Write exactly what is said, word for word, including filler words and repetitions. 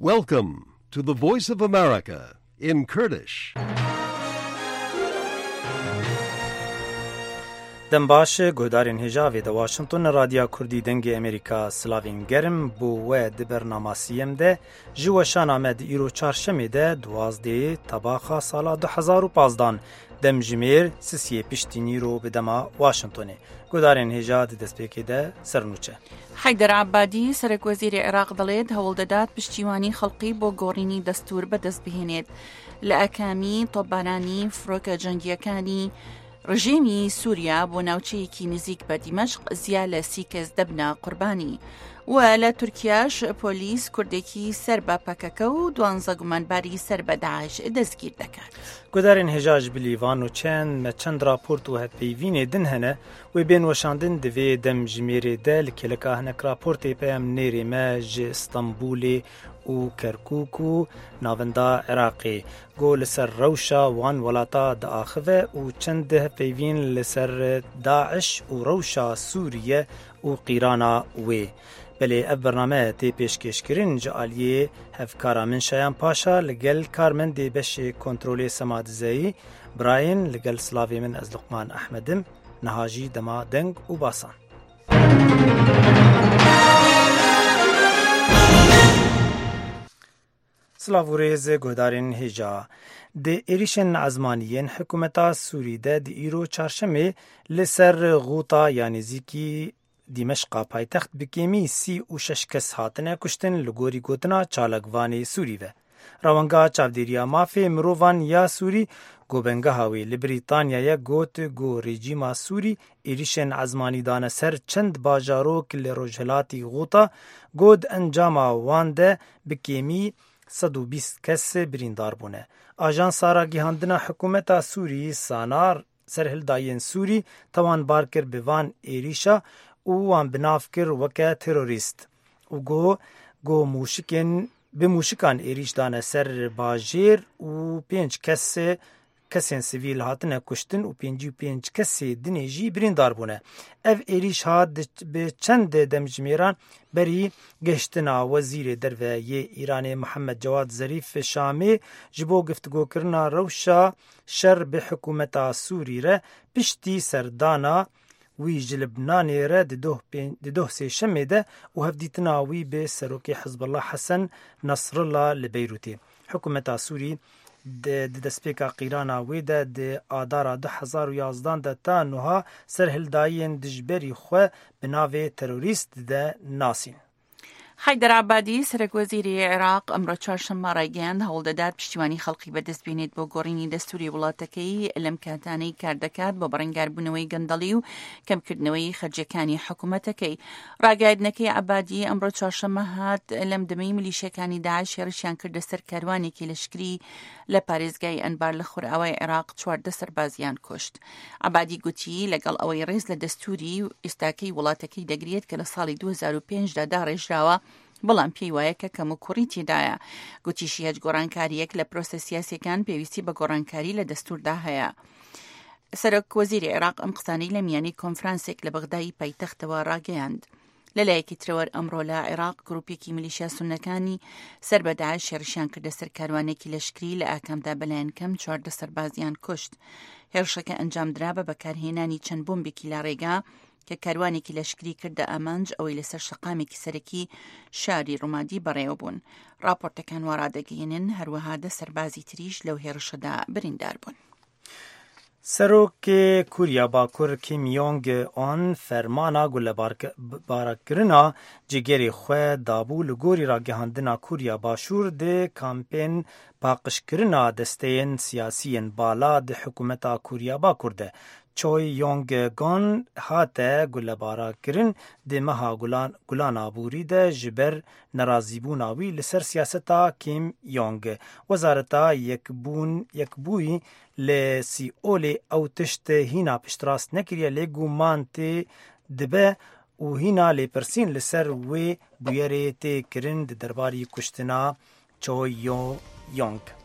Welcome to the Voice of America in Kurdish. Dem baş, guhdarên hêja vê de Washington, Radya Kurdî Dengê Amerîka, silavên germ bo we di bernama siyem de. Ji weşana me di îro çarşemê de duwazdehê tebaxa sala du hezar û pazdan, demjimêr sisiyê piştî nîro bi dema Washingtonê. Guhdarên hêja di destpêkê de sernûçe. Heyder Ebadî, serekwezîrê Iraq, دەڵێت هەوڵ دەدات پشتیوانی خەڵقی بۆ گۆڕینی دەستور بەدەست بهێنێت. لە ئاکامی تۆپبارانی فرۆکە جەنگیەکانی ڕژێمی سووریا بۆ ناوچەیەکی نزیک بە دیمەشق، زیا لە سی کەس دەبنە قوربانی. و لە تورکیاش پۆلیس کوردێکی سەر بە پەکەکە و دوانزە گومانباری سەر بە داعش دەستگیر دەکات. Guhdarên hêja, ji bilî van û çend me çend raport û hevpeyvînê din hene, wê bên weşandin. Di vê demjimêrê de li kêleka hinek raportê peyamnêrê me ji Stenbulê û Kerkûk û navenda Iraqê, ku li ser rewşa wan welata diaxive û çend hevpeyvîn li ser DAIŞ û rewşa Sûriye û qîrana wê. Belê ev bername tê pêşkêşkirin ji aliyê hevkara min Şayan Paşa li gel karmendê beşê kontrolê Sema Dizeyî, birayên li gel silavê min ez Luqman Ehmed im, niha jî dema deng û basan. Silav û rêz guhdarên hêja. Di êrîşên ezmanî yên hikûmeta Sûrî de di îro çarşemê li ser Xûta ya nêzîkî Dîmeşqa paytext bi kêmî sî û şeş kes hatine kuştin, li gorî gotina çalakvanê Sûrî ve. Rewenga çavdêriya mafê mirovan ya Sûrî, ku bengeha wê li Brîtanya ye, got ku rejîma Sûrî êrîşên ezmanî dane ser çend bajarok li rojhilatî Xûta, ku di encama wan de bi kêmî sed û bîst kes birîndar bûne. Ajansa ragihandina hikûmeta Sûrî, Sanar, serhildayên Sûrî tewanbar kir bi van êrîşa û wan bi nav kir weke terorîst û got, got mûşikên, bi mûşikan êrîş dane ser bajêr û pênc kes, kesên sivîl hatine kuştin û pêncî û pênc kesê dinê jî birîndar bûne. Ev êrîş hat di, bi çend demjimêran berî gihiştina Wezîrê Derve yê Îranê Mihemed Cewad Zerîf Şamê ji bo giftugokirina rewşa şer bi hikûmeta Sûrî re piştî serdana wî ji Libnanê re di doh pê-, di doh sêşemê de û hevdîtina wî bi serokê Hizbullah Hesen Nasrullah li Beyrûtê. Hikûmeta Sûrî di, di destpêka qîrana wê de di Adara du hezar û yazdan de ta nuha serhildayên dijberî xwe bi navê terorîst de nasîn. Heyder Ebadî, serekwezîrê Iraq، ئەمڕۆ چوارشەممە ڕایگەیاند، هەوڵ دەدات پشتیوانی خەڵقی بەدەست بێنێت بۆ گۆڕینی دەستوری وڵاتەکەی، لەم کاتانەی کار دەکات بۆ بەڕێنگاربوونەوەی گەندەڵی و کەمکردنەوەی خەرجەکانی حکوومەتەکەی. ڕاگەیاندنەکەی عەبادی ئەمڕۆ چوارشەممە هات، لەم دەمەی میلیشیەکانی داعش هێرشیان کردە سەر کاروانێکی لەشکری لە پارێزگای ئەنبار لە خۆرئاوای عێراق، چواردە سەربازیان کوشت. عەبادی گوتی، لەگەڵ ئەوەی ڕێز لە دەستوری و ئێستاکەی وڵاتەکەی دەگرێت کە لە ساڵی دوو هەزار و پێنج دا داڕێژراوە، بەڵام پێی وایە کە کەم و کوڕی تێدایە. گوتیشی، هیچ گۆڕانکاریەک لە پرۆسە سیاسیەکان پێویستی بە گۆڕانکاری لە دەستوردا هەیە. سەرۆک وەزیری عێراق ئەم قسانەی لە میانی کۆنفرانسێک لە بەغدای پایتەختەوە ڕاگەیاند. لە لایەکی ترەوە ئەمڕۆ لە عێراق گروپێکی میلیشیا سونەکانی سەر بە داعش هێرشیان کردە سەر کاروانێکی لەشکری، لە ئاکامدا بەلایەن کەم چواردە سەربازیان کوشت. هێرشەکە ئەنجام درا بە بەکارهێنانی چەند بۆمبێکی لە ڕێگا کە کاروانێکی لەشکری کردە ئامانج، ئەوەی لەسەر شەقامێکی سەرەکی شاری ڕومادی بەڕێوە بوون. راپۆرتەکان وا ڕادەگەیەنن، هەروەها دە سەربازی تریش لەو هێرشەدا بریندار بوون. Serokê Kûriya Bakur Kim Jong Un fermana gulebarke-, barakirina cîgerê xwe dabû. Li gorî ragihandina Kûriya Başûr di kampên paqijkirina desteyên siyasiyên bala di hikûmeta Kûriya Bakur de. Choi Yong Gon hate gulebarakirin di meha Gulan, Gulan Aborî de ji ber nerazîbûna wî li ser siyaseta Kim Jong. Wezareta Yekbûn, Yekbûyî li Sîolê ew tişt hîna piştrast nekiriye, lê guman tê dibe û hîna lêpirsîn li ser wê bûyerê tê kirin di derbarî kuştina Choi Yo Yong.